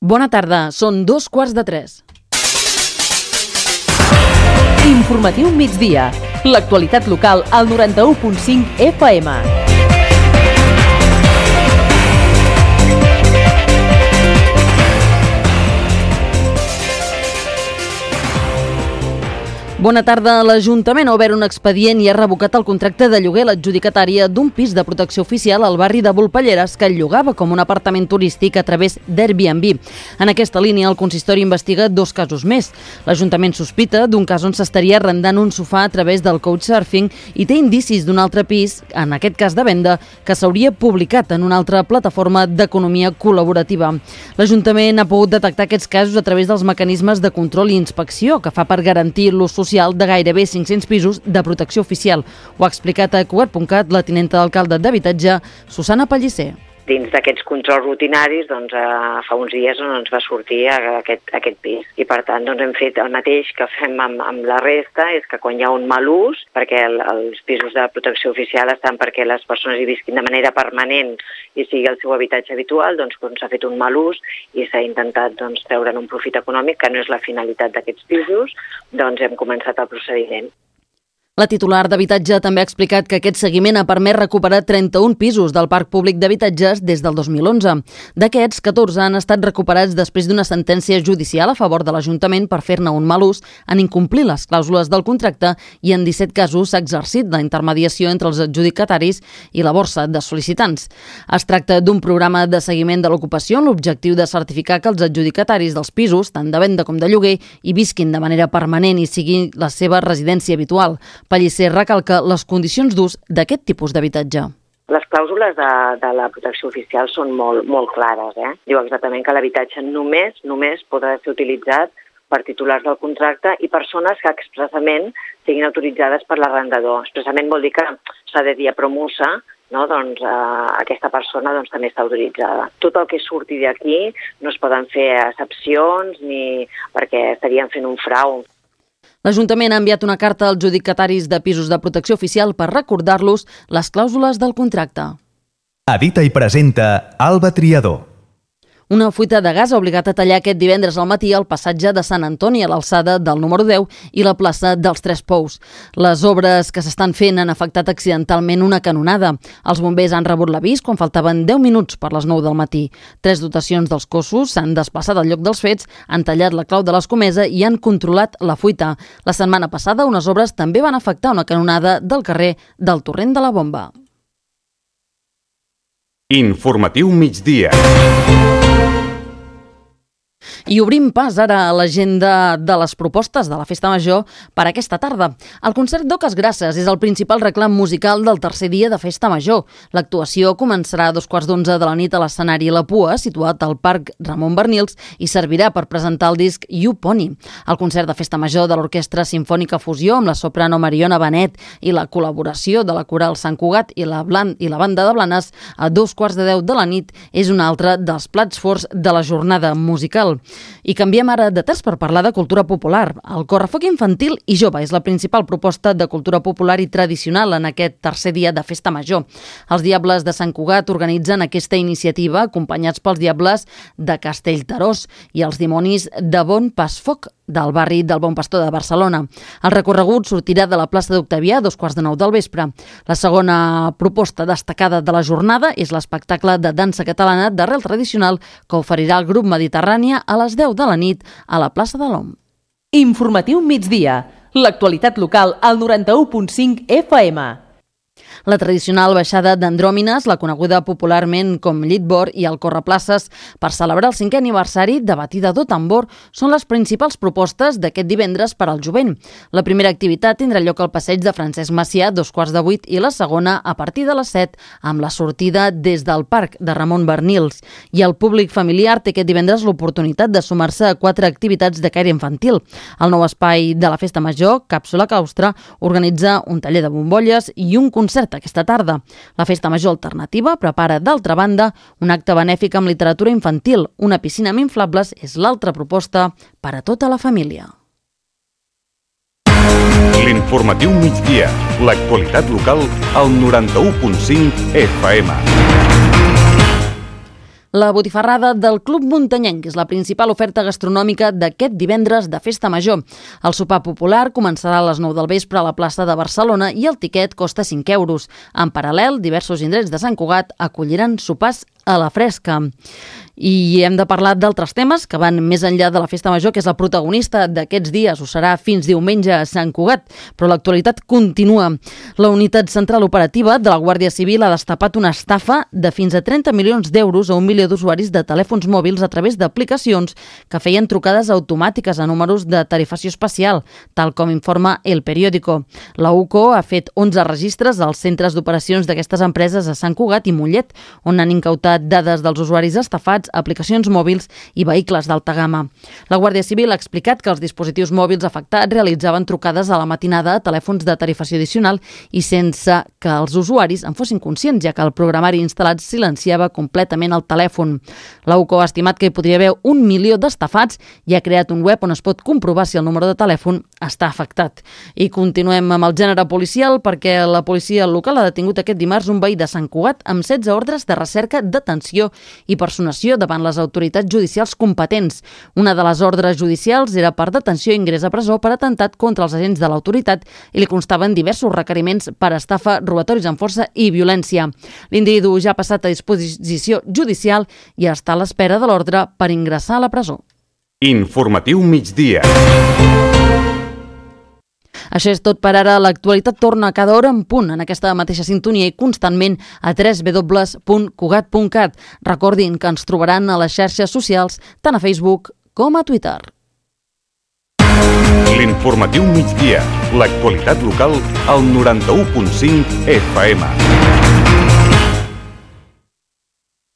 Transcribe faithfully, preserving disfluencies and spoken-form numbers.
Bona tarda, són dos quarts de tres. Informatiu migdia. L'actualitat local al noranta-u punt cinc F M. Bona tarda. L'Ajuntament ha obert un expedient i ha revocat el contracte de lloguer a l'adjudicatària d'un pis de protecció oficial al barri de Volpelleres que el llogava com un apartament turístic a través d'Airbnb. En aquesta línia, el consistori investiga dos casos més. L'Ajuntament sospita d'un cas on s'estaria arrendant un sofà a través del couchsurfing i té indicis d'un altre pis, en aquest cas de venda, que s'hauria publicat en una altra plataforma d'economia col·laborativa. L'Ajuntament ha pogut detectar aquests casos a través dels mecanismes de control i inspecció que fa per garantir l'ús social de gairebé cinc-cents pisos de protecció oficial. Ho ha explicat a Cugat punt cat la tinenta d'alcalde d'habitatge, Susana Pellicer. Dins d'aquests controls rutinaris, doncs, eh, fa uns dies on ens va sortir aquest, aquest pis. I per tant, doncs, hem fet el mateix que fem amb, amb la resta, és que quan hi ha un mal ús, perquè el, els pisos de protecció oficial estan perquè les persones hi visquin de manera permanent i sigui el seu habitatge habitual, doncs quan s'ha fet un mal ús i s'ha intentat doncs, treure'n un profit econòmic, que no és la finalitat d'aquests pisos, doncs hem començat el procediment. La titular d'Habitatge també ha explicat que aquest seguiment ha permès recuperar trenta-un pisos del parc públic d'habitatges des del dos mil onze. D'aquests, catorze han estat recuperats després d'una sentència judicial a favor de l'Ajuntament per fer-ne un mal ús en incomplir les clàusules del contracte i en disset casos s'ha exercit la intermediació entre els adjudicataris i la borsa de sol·licitants. Es tracta d'un programa de seguiment de l'ocupació amb l'objectiu de certificar que els adjudicataris dels pisos, tant de venda com de lloguer, hi visquin de manera permanent i sigui la seva residència habitual. Pellicer recalca les condicions d'ús d'aquest tipus d'habitatge. Les clàusules de, de la protecció oficial són molt, molt clares. Eh? Diu exactament que l'habitatge només, només podrà ser utilitzat per titulars del contracte i persones que expressament siguin autoritzades per l'arrendador. Expressament vol dir que s'ha de dir a promusa, no? doncs, eh, aquesta persona doncs, també està autoritzada. Tot el que surti d'aquí no es poden fer excepcions ni perquè estaríem fent un frau. L'Ajuntament ha enviat una carta als adjudicataris de pisos de protecció oficial per recordar-los les clàusules del contracte. Edita i presenta Alba Triador. Una fuita de gas ha obligat a tallar aquest divendres al matí el passatge de Sant Antoni a l'alçada del número deu i la plaça dels Tres Pous. Les obres que s'estan fent han afectat accidentalment una canonada. Els bombers han rebut l'avís quan faltaven deu minuts per les nou del matí. Tres dotacions dels cossos s'han desplaçat al lloc dels fets, han tallat la clau de l'escomesa i han controlat la fuita. La setmana passada unes obres també van afectar una canonada del carrer del Torrent de la Bomba. Informatiu migdia. I obrim pas ara a l'agenda de les propostes de la Festa Major per aquesta tarda. El concert d'Oques Grasses és el principal reclam musical del tercer dia de Festa Major. L'actuació començarà a dos quarts d'onze de la nit a l'escenari La Pua, situat al Parc Ramon Bernils, i servirà per presentar el disc You Pony. El concert de Festa Major de l'Orquestra Simfònica Fusió amb la soprano Mariona Benet i la col·laboració de la Coral Sant Cugat i la, Blan i la Banda de Blanes a dos quarts de deu de la nit és un altre dels plats forts de la jornada musical. I canviem ara de terç per parlar de cultura popular. El correfoc infantil i jove és la principal proposta de cultura popular i tradicional en aquest tercer dia de Festa Major. Els Diables de Sant Cugat organitzen aquesta iniciativa acompanyats pels Diables de Castellterós i els Dimonis de Bon Pasfoc del barri del Bon Pastor de Barcelona. El recorregut sortirà de la plaça d'Octavià a dos quarts de nou del vespre. La segona proposta destacada de la jornada és l'espectacle de dansa catalana d'arrel tradicional que oferirà el grup Mediterrània a les deu de la nit a la plaça de l'Om. Informatiu migdia. L'actualitat local al noranta-u punt cinc F M. La tradicional baixada d'Andròmines, la coneguda popularment com Llitbor, i el Correplaces per celebrar el cinquè aniversari de Batida do Tambor són les principals propostes d'aquest divendres per al jovent. La primera activitat tindrà lloc al passeig de Francesc Macià, dos quarts de vuit, i la segona a partir de les set, amb la sortida des del Parc de Ramon Bernils. I el públic familiar té aquest divendres l'oportunitat de sumar-se a quatre activitats de caire infantil. El nou espai de la Festa Major, Càpsula Claustre, organitza un taller de bombolles i un concert aquesta tarda. La Festa Major Alternativa prepara, d'altra banda, un acte benèfic amb literatura infantil. Una piscina amb inflables és l'altra proposta per a tota la família. L'informatiu migdia. L'actualitat local al noranta-u punt cinc F M. La botifarrada del Club Muntanyenc és la principal oferta gastronòmica d'aquest divendres de Festa Major. El sopar popular començarà a les nou del vespre a la plaça de Barcelona i el tiquet costa cinc euros. En paral·lel, diversos indrets de Sant Cugat acolliran sopars a la fresca. I hem de parlar d'altres temes que van més enllà de la Festa Major, que és la protagonista d'aquests dies. Ho serà fins diumenge a Sant Cugat, però l'actualitat continua. La unitat central operativa de la Guàrdia Civil ha destapat una estafa de fins a trenta milions d'euros a un milió d'usuaris de telèfons mòbils a través d'aplicacions que feien trucades automàtiques a números de tarifació especial, tal com informa El Periódico. La U C O ha fet onze registres als centres d'operacions d'aquestes empreses a Sant Cugat i Mollet, on han incautat dades dels usuaris estafats, aplicacions mòbils i vehicles d'alta gamma. La Guàrdia Civil ha explicat que els dispositius mòbils afectats realitzaven trucades a la matinada a telèfons de tarifació addicional i sense que els usuaris en fossin conscients, ja que el programari instal·lat silenciava completament el telèfon. La U C O ha estimat que hi podria haver un milió d'estafats i ha creat un web on es pot comprovar si el número de telèfon està afectat. I continuem amb el gènere policial perquè la policia local ha detingut aquest dimarts un veí de Sant Cugat amb setze ordres de recerca, detenció i personació davant les autoritats judicials competents. Una de les ordres judicials era per detenció i ingrés a presó per atemptat contra els agents de l'autoritat i li constaven diversos requeriments per estafa, robatoris amb força i violència. L'individu ja ha passat a disposició judicial i està a l'espera de l'ordre per ingressar a la presó. Informatiu migdia. Això és tot per ara. L'actualitat torna cada hora en punt en aquesta mateixa sintonia i constantment a w w w punt cugat punt cat. Recordin que ens trobaran a les xarxes socials, tant a Facebook com a Twitter. L'informatiu migdia. L'actualitat local al noranta-u punt cinc F M.